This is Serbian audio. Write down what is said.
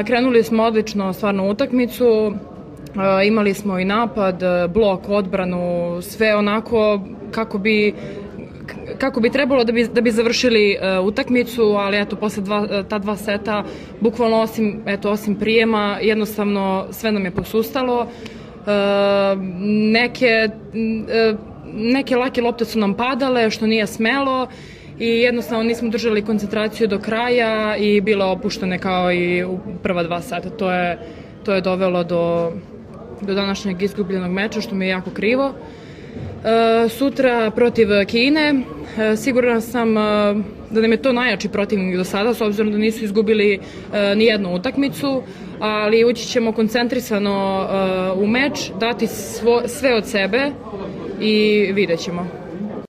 Krenuli smo odlično stvarno utakmicu, imali smo i napad, blok, odbranu, sve onako kako bi trebalo da bi završili utakmicu, ali eto, posle ta dva seta, bukvalno osim prijema, jednostavno sve nam je posustalo. Neke lake lopte su nam padale, što nije smelo, i jednostavno nismo držali koncentraciju do kraja i bile opuštene kao i u prva dva seta. To je dovelo do današnjeg izgubljenog meča, što mi je jako krivo. Sutra protiv Kine, sigurna sam da nam je to najjači protivnik do sada, s obzirom da nisu izgubili ni jednu utakmicu, ali ući ćemo koncentrisano u meč, dati sve od sebe i vidjet ćemo.